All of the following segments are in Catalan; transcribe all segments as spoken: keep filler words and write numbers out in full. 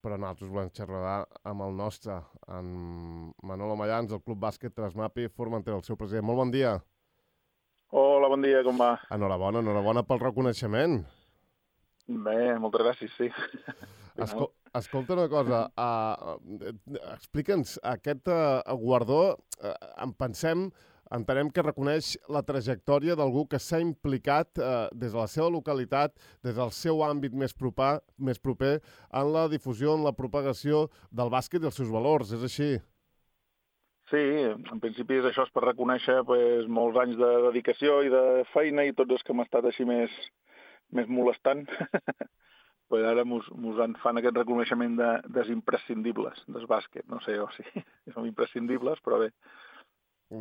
però nosaltres volem xerrar amb el nostre, en Manolo Mayans, del Club Bàsquet Trasmapi Formentera, el seu president. Molt bon dia. Hola, bon dia, com va? Enhorabona, enhorabona pel reconeixement. Bé, moltes gràcies, sí. Escol Escolta una cosa, uh, explica'ns, aquest uh, guardó, uh, en pensem, entenem que reconeix la trajectòria d'algú que s'ha implicat uh, des de la seva localitat, des del seu àmbit més, proper, més proper, en la difusió, en la propagació del bàsquet i els seus valors, és així? Sí, en principi és això, és per reconèixer pues, molts anys de dedicació i de feina i tots els que hem estat així més, més molestant. pues ara mos, mos en fan aquest reconeixement de, des imprescindibles del bàsquet. No sé, o sigui, som imprescindibles, però bé.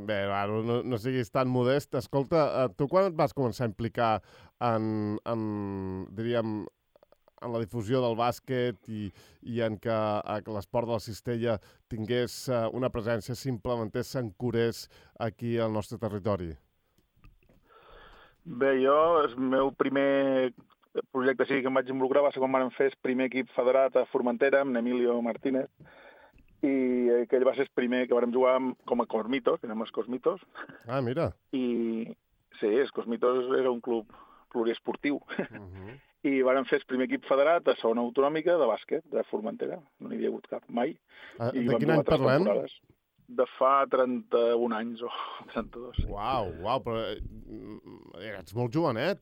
Bé, no, no, no siguis tan modest. Escolta, tu quan et vas començar a implicar en, en diríem, en la difusió del bàsquet i, i en que, que l'esport de la cistella tingués una presència, s'implementés, s'encurés aquí al nostre territori? Bé, jo, el meu primer projecte sí que em vaig involucrar va ser quan vam fer el primer equip federat a Formentera, amb Emilio Martínez, i aquell va ser el primer que vam jugar com a Cosmitos, que érem els Cosmitos. Ah, mira. I sí, els Cosmitos era un club pluriesportiu. Uh -huh. I vàrem fer el primer equip federat a zona autonòmica de bàsquet, de Formentera. No n'hi havia hagut cap mai. Ah, de quin any parlem? Temporades. De fa trenta-un anys o trenta-dos. Sí. Uau, uau, però ets molt jovenet.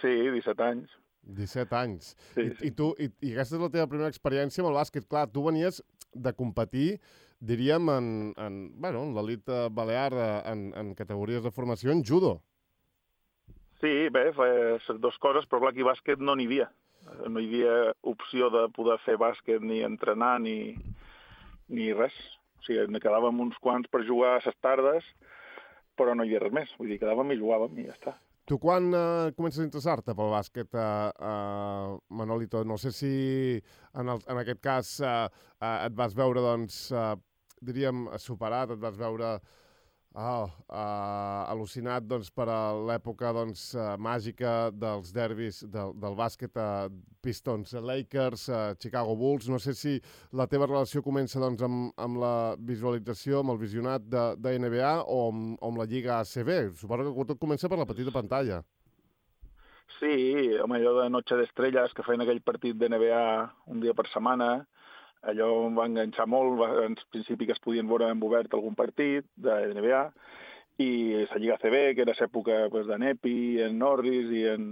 Sí, disset anys. disset anys. Sí, I, sí. I, tu, i, I aquesta és la teva primera experiència amb el bàsquet. Clar, tu venies de competir, diríem, en, en, bueno, en l'elit balear, en, en categories de formació, en judo. Sí, bé, les dues coses, però clar, aquí bàsquet no n'hi havia. No hi havia opció de poder fer bàsquet ni entrenar ni, ni res. O sigui, ne quedàvem uns quants per jugar a les tardes, però no hi havia res més. Vull dir, quedàvem i jugàvem i ja està. Tu quan uh, comences a interessar-te pel bàsquet, uh, uh, Manolito? No sé si en, el, en aquest cas uh, uh, et vas veure, doncs, uh, diríem, superat, et vas veure oh, uh, al·lucinat doncs, per a l'època doncs, uh, màgica dels derbis del, del bàsquet, uh, Pistons Lakers, uh, Chicago Bulls. No sé si la teva relació comença doncs, amb, amb la visualització, amb el visionat de, de N B A o amb, o amb la Lliga A C B. Suposo que tot comença per la petita pantalla. Sí, home, allò de Noche d'Estrelles, que feien aquell partit de N B A un dia per setmana, allò em va enganxar molt. En principi que es podien veure en obert algun partit de N B A, i la Lliga A C B, que era l'època pues, de Nepi, en Norris i en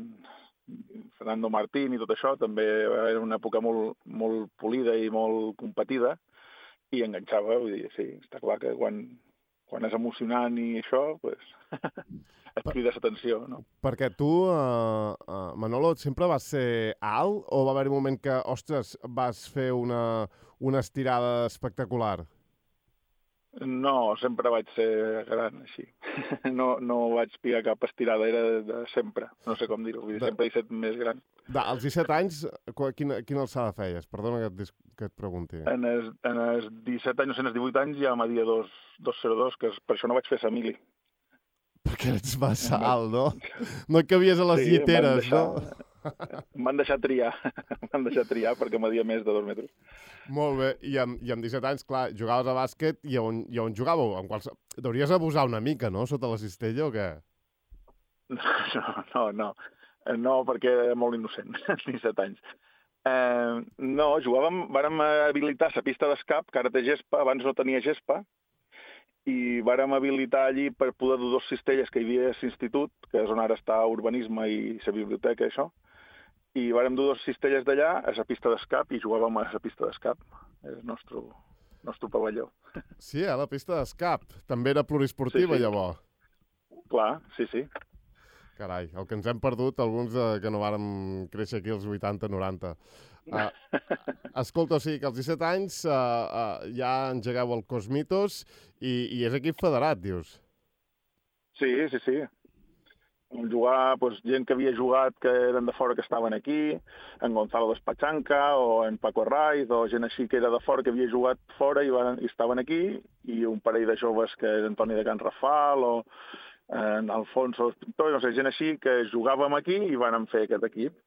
Fernando Martín i tot això, també era una època molt, molt polida i molt competida, i enganxava. Vull dir, sí, està clar que quan, quan és emocionant i això, pues, et crida l'atenció, no? Perquè tu, uh, uh, Manolo, sempre vas ser alt o va haver un moment que, ostres, vas fer una, una estirada espectacular? No, sempre vaig ser gran, així. No, no vaig pillar cap estirada, era de, de sempre. No sé com dir-ho, de... sempre he estat més gran. De, als disset anys, quina, quina alçada feies? Perdona que et, que et pregunti. En els, en els disset anys, no sé, en els divuit anys ja m'adia dos zero dos, que per això no vaig fer Samili. Perquè ets massa alt, no? No cabies a les sí, lliteres, deixar, no? Em van deixar triar, em van deixar triar perquè m'adia més de dos metres. Molt bé, I amb, i amb disset anys, clar, jugaves a bàsquet i on, i on jugàveu? En quals... Deuries abusar una mica, no?, sota la cistella o què? No, no, no, no perquè era molt innocent, disset anys. Eh, no, jugàvem, vàrem habilitar la pista d'escap, que ara té gespa, abans no tenia gespa, i vàrem habilitar allí per poder dur dos cistelles que hi havia a l'institut, que és on ara està urbanisme i la biblioteca, això, i vàrem dur dos cistelles d'allà a la pista d'escap i jugàvem a la pista d'escap. És el nostre, nostre pavelló. Sí, a la pista d'escap. També era pluriesportiva, sí, sí. Llavors. Clar, sí, sí. Carai, el que ens hem perdut, alguns de, que no vàrem créixer aquí als vuitanta noranta. Uh, escolta, o sigui que als disset anys uh, uh, ja engegueu el Cosmitos i, i és equip federat, dius? Sí, sí, sí. Jugar, doncs, gent que havia jugat que eren de fora que estaven aquí, en Gonzalo Despachanca o en Paco Arraiz, o gent així que era de fora que havia jugat fora i, van, i estaven aquí, i un parell de joves que era Antoni de Can Rafal o en Alfonso Pintor, no sé, gent així que jugàvem aquí i van fer aquest equip.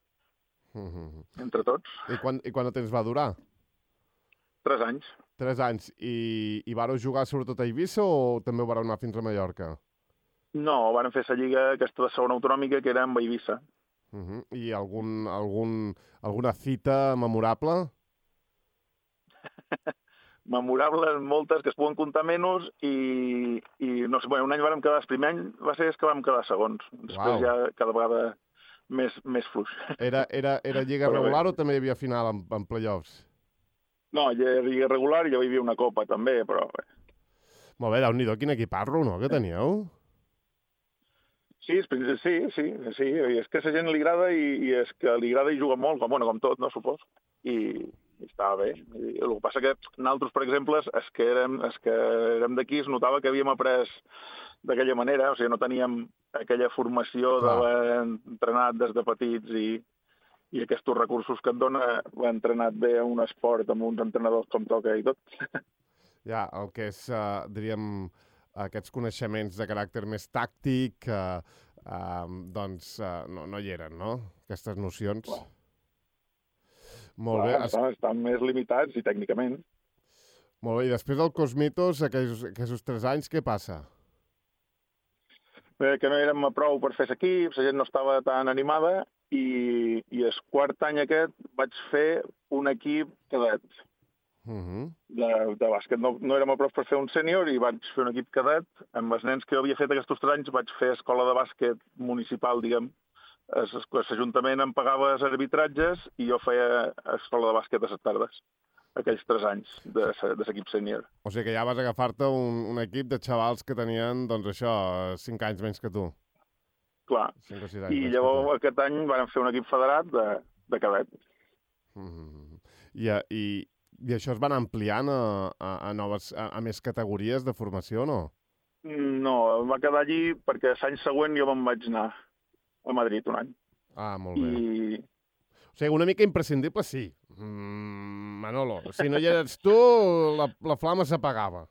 Mm-hmm. entre tots. I quan, i quant de temps va durar? Tres anys. Tres anys. I, i vareu jugar sobretot a Eivissa o també ho vareu anar fins a Mallorca? No, van fer la lliga aquesta de segona autonòmica, que era amb Eivissa. Uh-huh. I algun, algun, alguna cita memorable? Memorables moltes, que es poden comptar menys, i, i no sé, bueno, un any vam quedar, el primer any va ser que vam quedar segons. Després Uau. ja cada vegada més, més fluix. Era, era, era lliga Però regular bé. o també hi havia final en, en playoffs? No, ja era lliga regular i ja hi havia una copa també, però bé. Molt bé, Déu-n'hi-do, quin equiparro, no?, que teníeu? Sí, sí, sí, sí, sí, i és que a la gent li agrada i, i és que li agrada i juga molt, com, bueno, com tot, no, supos. I, i estava bé. I el que passa que nosaltres, per exemple, és que érem, és que érem d'aquí, es notava que havíem après d'aquella manera, o sigui, no teníem aquella formació d'haver entrenat des de petits i, i aquests recursos que et dona entrenat bé a un esport amb uns entrenadors com toca i tot. Ja, el que és, uh, diríem, aquests coneixements de caràcter més tàctic, uh, uh, doncs uh, no, no hi eren, no? Aquestes nocions. Clar. Molt Clar, bé. Estan, estan més limitats i tècnicament. Molt bé, i després del Cosmitos, aquells, aquells tres anys, què passa? Bé, que no érem a prou per fer l'equip, la gent no estava tan animada i, i el quart any aquest vaig fer un equip cadet. Uh-huh. de, de bàsquet. No, no érem a prou per fer un sènior i vaig fer un equip cadet. Amb els nens que jo havia fet aquests tres anys vaig fer escola de bàsquet municipal, diguem. L'Ajuntament em pagava els arbitratges i jo feia escola de bàsquet a les tardes, aquells tres anys de, de l'equip sènior. O sigui que ja vas agafar-te un, un equip de xavals que tenien, doncs això, cinc anys menys que tu. Clar. cinc o sis anys I menys llavors que tu. aquest any vam fer un equip federat de, de cadet. Mm-hmm. I, i, I això es van ampliant a, a, a, noves, a, a més categories de formació, no? No, em va quedar allí perquè l'any següent jo me'n vaig anar a Madrid un any. Ah, molt bé. I... O sigui, una mica imprescindible, sí. Mm, Manolo, si no hi eres tu, la, la flama s'apagava.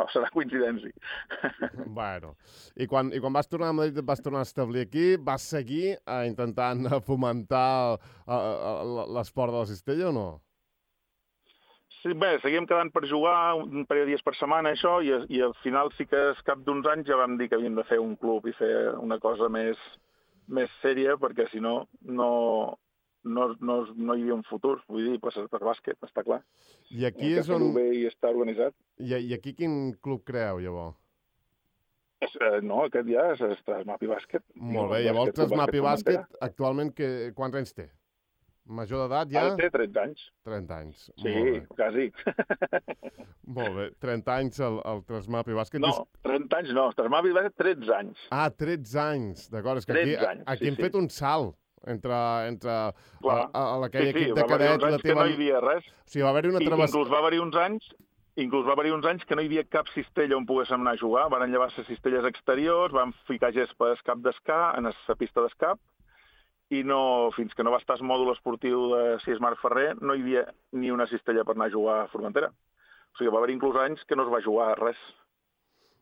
O serà coincidència. Bueno, i quan, i quan vas tornar a Madrid, et vas tornar a establir aquí, vas seguir eh, intentant fomentar l'esport de la cistella o no? Sí, bé, seguíem quedant per jugar un parell de dies per setmana, això, i, i al final sí que al cap d'uns anys ja vam dir que havíem de fer un club i fer una cosa més, més sèria, perquè si no, no, no, no, no hi havia un futur. Vull dir, pues, per bàsquet, està clar. I aquí és on... Bé i està organitzat. I, I aquí quin club creeu, llavors? És, eh, no, aquest ja és el Trasmapi Bàsquet. Molt bé, llavors el Trasmapi Bàsquet, actualment, que, quants anys té? Major d'edat ja? Ara té tretze anys. trenta anys. Sí, quasi. Molt bé, trenta anys el, el Trasmapi Bàsquet. No, trenta anys no, el Trasmapi Bàsquet tretze anys. Ah, tretze anys, d'acord. És que aquí, anys, aquí sí, hem sí. fet un salt entre, entre Clar. a, a, a aquell sí, sí, equip de cadet i la teva... Que no hi havia res. O sigui, va haver-hi una I, travessa... inclús va haver-hi uns anys Inclús va haver-hi uns anys que no hi havia cap cistella on poguéssim anar a jugar. Van llevar les cistelles exteriors, van ficar gespa al cap d'escà, en la pista d'escap, i no, fins que no va estar el mòdul esportiu de Cies Marc Ferrer, no hi havia ni una cistella per anar a jugar a Formentera. O sigui, va haver inclús anys que no es va jugar a res.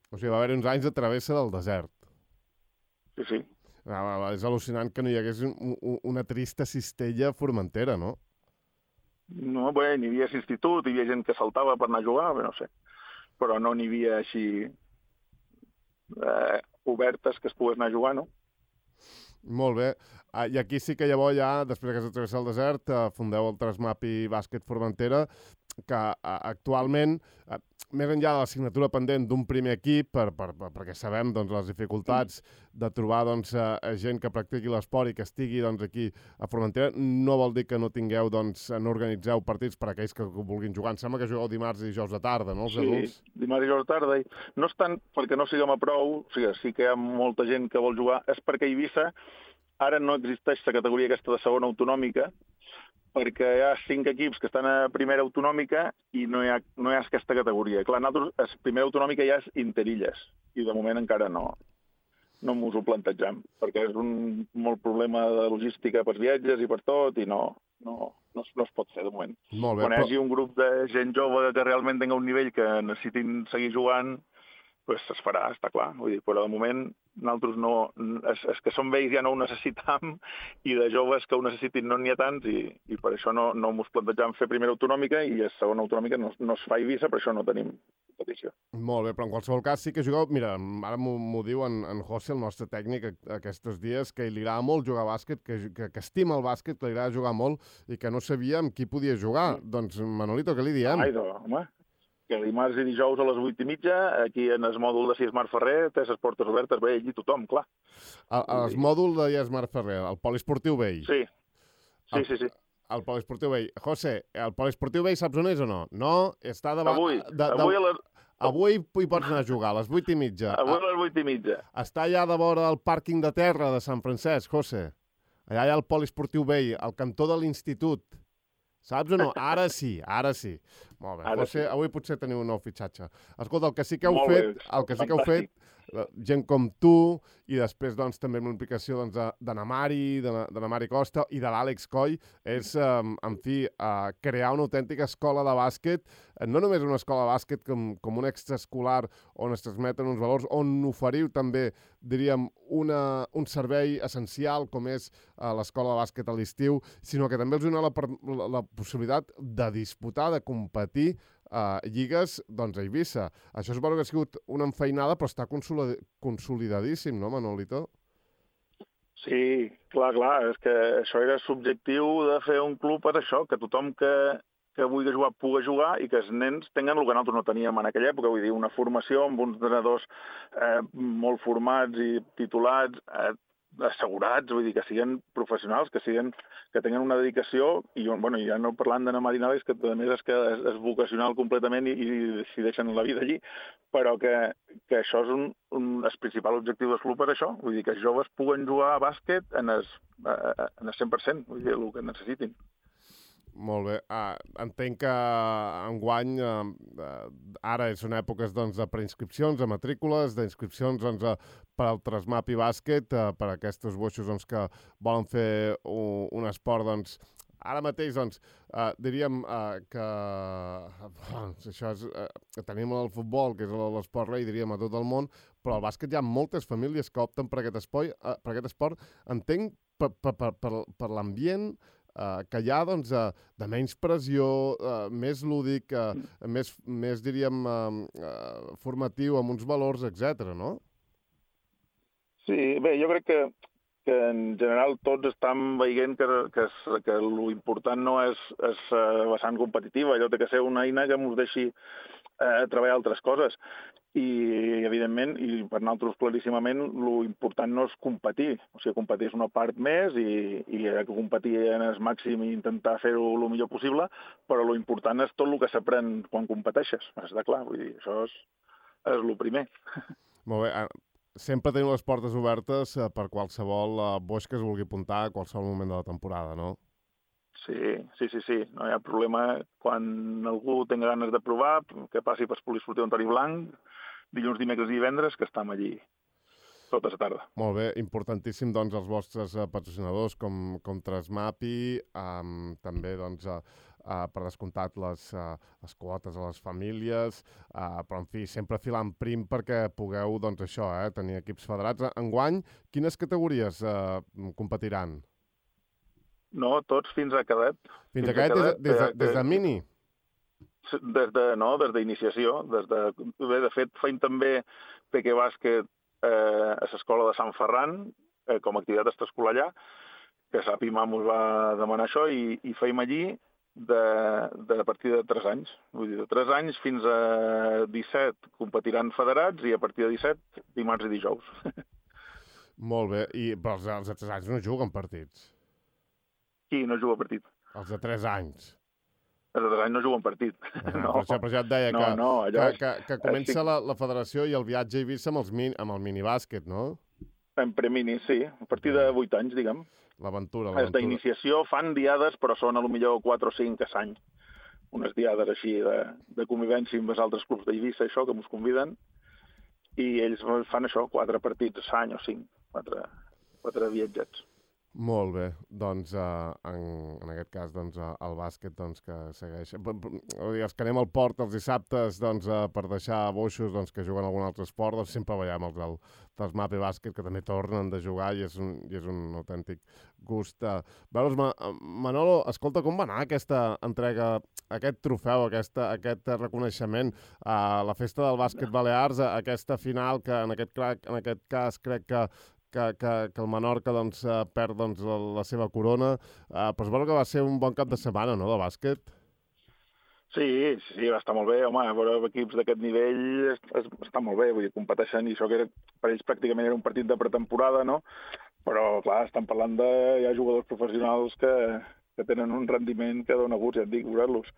O sigui, va haver uns anys de travessa del desert. Sí, sí. Ah, és al·lucinant que no hi hagués un, un, una trista cistella a Formentera, no? No, bé, n'hi havia institut, hi havia gent que saltava per anar a jugar, bé, no sé. Però no n'hi havia així eh, obertes que es pogués anar a jugar, no? Molt bé. Uh, I aquí sí que llavors ja, després que s'ha travessat el desert, uh, fundeu el Trasmapi Bàsquet Formentera, que uh, actualment, uh, més enllà de la signatura pendent d'un primer equip, per, per, per, perquè sabem doncs, les dificultats de trobar doncs, uh, gent que practiqui l'esport i que estigui doncs, aquí a Formentera, no vol dir que no tingueu, doncs, no organitzeu partits per a aquells que vulguin jugar. Em sembla que jugueu dimarts i dijous de tarda, no, els sí, adults? Sí, dimarts i dijous de tarda. No és tant perquè no siguem a prou, o sigui, sí que hi ha molta gent que vol jugar, és perquè a Eivissa ara no existeix la categoria aquesta de segona autonòmica, perquè hi ha cinc equips que estan a primera autonòmica i no hi ha, no hi ha aquesta categoria. Clar, nosaltres, la primera autonòmica ja és interilles, i de moment encara no, no ens ho plantegem, perquè és un molt problema de logística pels viatges i per tot, i no, no, no, no es pot fer de moment. Molt bé, Quan hi hagi però... un grup de gent jove que realment tingui un nivell que necessitin seguir jugant, pues es farà, està clar. Vull dir, però de moment nosaltres no... És, és que som vells ja no ho necessitam i de joves que ho necessitin no n'hi ha tants i, i per això no, no mos plantejam fer primera autonòmica i a segona autonòmica no, no es fa a Eivissa, per això no tenim competició. Molt bé, però en qualsevol cas sí que jugueu... Mira, ara m'ho diu en, en José, el nostre tècnic, aquests dies, que li agrada molt jugar a bàsquet, que, que, que estima el bàsquet, que li agrada jugar molt i que no sabia amb qui podia jugar. Mm. Doncs, Manolito, què li diem? Ai, doncs, home, que dimarts i dijous a les vuit i mitja, aquí en el mòdul de Cies Mar Ferrer, té les portes obertes, ve allí tothom, clar. El, el mòdul de Cies Mar Ferrer, el poliesportiu vell. Sí, sí, el, sí. sí. El poliesportiu vell. José, el poliesportiu vell saps on és o no? No, està davant... Avui, de, de, avui a les... Avui hi pots anar a jugar, a les vuit i mitja. Avui a les vuit i mitja. Està allà de vora del pàrquing de terra de Sant Francesc, José. Allà hi ha el poliesportiu vell, al cantó de l'institut. Saps o no? Ara sí, ara sí. Molt bé. Ara José, sí. avui potser teniu un nou fitxatge. Escolta, el que sí que heu Molt fet, bé, el que sí que heu fet, gent com tu, i després doncs, també amb l'implicació doncs, de na Mari, de na, de na Mari Costa i de l'Àlex Coll, és, eh, en fi, eh, crear una autèntica escola de bàsquet, no només una escola de bàsquet com, com un extraescolar on es transmeten uns valors, on oferiu també, diríem, una, un servei essencial com és eh, l'escola de bàsquet a l'estiu, sinó que també els dona la, la, la possibilitat de disputar, de competir Uh, lligues, doncs, a Eivissa. Això es veu que ha sigut una enfeinada, però està consolid consolidadíssim, no, Manolito? Sí, clar, clar, és que això era subjectiu de fer un club per això, que tothom que, que vulgui jugar pugui jugar i que els nens tinguin el que nosaltres no teníem en aquella època, vull dir, una formació amb uns entrenadors eh, molt formats i titulats, eh, assegurats, vull dir, que siguin professionals, que siguin, que tinguin una dedicació, i bueno, ja no parlant d'Anna Marinales, que a més és que és, és vocacional completament i, i decideixen la vida allí, però que, que això és un, un, el principal objectiu del club per això, vull dir, que els joves puguen jugar a bàsquet en el, en el cent per cent, vull dir, el que necessitin. Molt bé. Ah, entenc que enguany, eh, ara són èpoques doncs, de preinscripcions, de matrícules, d'inscripcions doncs, per al Trasmap i bàsquet, eh, per a aquests boixos doncs, que volen fer un, un esport, doncs, ara mateix, doncs, eh, diríem eh, que doncs, això és, eh, tenim el futbol, que és l'esport rei, diríem, a tot el món, però al bàsquet hi ha moltes famílies que opten per aquest esport. Eh, per aquest esport. Entenc per, per, per, per, per l'ambient Uh, que hi ha doncs, uh, de menys pressió, uh, més lúdic, uh, més, més, diríem, uh, uh, formatiu, amb uns valors, etcètera, no? Sí, bé, jo crec que, que en general tots estan veient que, que, que l'important no és, és uh, vessant competitiva, allò té que ser una eina que ens deixi uh, treballar altres coses. I, evidentment, i per nosaltres claríssimament, l'important no és competir. O sigui, competir és una part més i, i hi ha que competir en el màxim i intentar fer-ho el millor possible, però l'important és tot el que s'aprèn quan competeixes. Està clar, vull dir, això és, és el primer. Molt bé. Sempre teniu les portes obertes per qualsevol boix que es vulgui apuntar a qualsevol moment de la temporada, no? Sí, sí, sí, sí. No hi ha problema. Quan algú tingui ganes de provar, que passi per Poliesportiu Antoni Blanc, dilluns, dimecres i divendres, que estem allí tota la tarda. Molt bé, importantíssim, doncs, els vostres uh, patrocinadors com, com Trasmapi, um, també, doncs, uh, uh, per descomptat les, uh, les quotes a les famílies, uh, però, en fi, sempre filant prim perquè pugueu, doncs, això, eh, tenir equips federats. Enguany, quines categories uh, competiran? No, tots fins a cadet. Fins, fins a cadet, cadet des, des, de, des de mini? Des de, no, des d'iniciació. Des de, bé, de fet, feim també peque bàsquet eh, a l'escola de Sant Ferran, eh, com a activitat extraescolar allà, que Sapima ens va demanar això, i, i feim allí de, de a partir de tres anys. Vull dir, de tres anys fins a disset competiran federats i a partir de disset dimarts i dijous. Molt bé, I, però els, els de tres anys no juguen partits? Qui no juga partit? Els de tres anys. Els de tres anys no juguen partit. Ah, no. Per això, per això et deia no, que, no, que, que, que comença sí. la, la federació i el viatge a Eivissa amb, els min, amb el minibàsquet, no? En premini, sí. A partir de vuit anys, diguem. L'aventura, l'aventura. Els d'iniciació fan diades, però són a lo millor quatre o cinc a l'any. Unes diades així de, de convivència amb els altres clubs d'Eivissa, això, que ens conviden, i ells fan això, quatre partits a l'any o cinc, quatre, quatre viatgets. Molt bé, doncs uh, en, en aquest cas doncs, uh, el bàsquet doncs, que segueix. Els que anem al port els dissabtes doncs, uh, per deixar boixos doncs, que juguen algun altre esport, doncs sempre veiem els del, dels Mape Bàsquet que també tornen de jugar i és un, i és un autèntic gust. Uh, veus, Ma Manolo, escolta, com va anar aquesta entrega, aquest trofeu, aquesta, aquest reconeixement a la festa del bàsquet Balears, a aquesta final que en aquest, en aquest cas crec que Que, que, que el Menorca doncs, uh, perd doncs, la, la seva corona, uh, però es veu que va ser un bon cap de setmana, no?, de bàsquet. Sí, sí, va estar molt bé. Home, veure equips d'aquest nivell es, es, està molt bé, vull dir, competeixen, i això que era, per ells pràcticament era un partit de pretemporada, no? Però, clar, estan parlant de hi ha jugadors professionals que, que tenen un rendiment que dona gust, ja et dic, veure-los.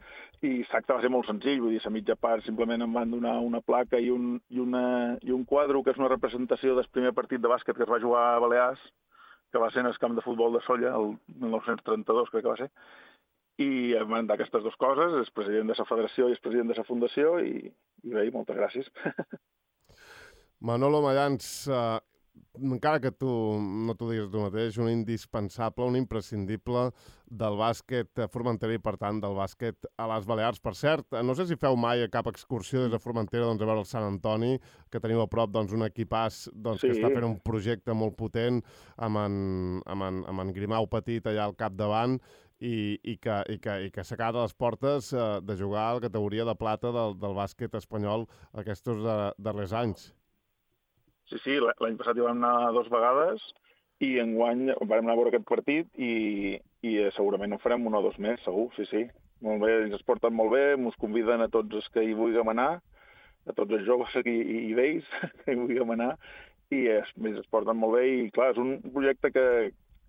I l'acte va ser molt senzill, vull dir, a mitja part simplement em van donar una placa i un, i, una, i un quadre que és una representació del primer partit de bàsquet que es va jugar a Balears, que va ser en el camp de futbol de Solla, el mil nou-cents trenta-dos, crec que va ser, i em van dar aquestes dues coses, és president de la federació i és president de la fundació, i, i bé, moltes gràcies. Manolo Mayans, eh, encara que tu no t'ho diguis tu mateix, un indispensable, un imprescindible del bàsquet formentera i, per tant, del bàsquet a les Balears. Per cert, no sé si feu mai cap excursió des de Formentera doncs, a veure el Sant Antoni, que teniu a prop doncs, un equipàs doncs, sí. que està fent un projecte molt potent amb en, amb en, amb en Grimau Petit allà al capdavant, i, i que, i que, i que s'acaba a les portes eh, de jugar a la categoria de plata del, del bàsquet espanyol aquests darrers anys. Sí, sí, l'any passat hi vam anar dues vegades i enguany vam anar a veure aquest partit i, i segurament en farem un o dos més, segur, sí, sí. Molt bé, ens es porten molt bé, ens conviden a tots els que hi vulguem anar, a tots els joves i, i, i vells que hi vulguem anar, i es, es porten molt bé i, clar, és un projecte que,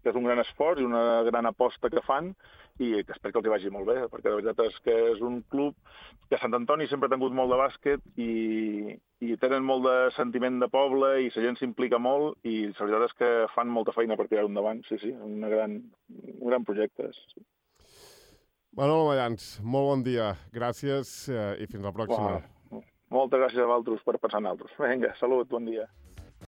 que és un gran esforç i una gran aposta que fan i que espero que els hi vagi molt bé, perquè la veritat és que és un club que Sant Antoni sempre ha tingut molt de bàsquet i, i tenen molt de sentiment de poble i la gent s'implica molt i la veritat és que fan molta feina per tirar-ho endavant, sí, sí, una gran, un gran projecte. Sí. Manolo Mayans, molt bon dia, gràcies eh, i fins la pròxima. Wow. Moltes gràcies a vosaltres per pensar en altres. Vinga, salut, bon dia.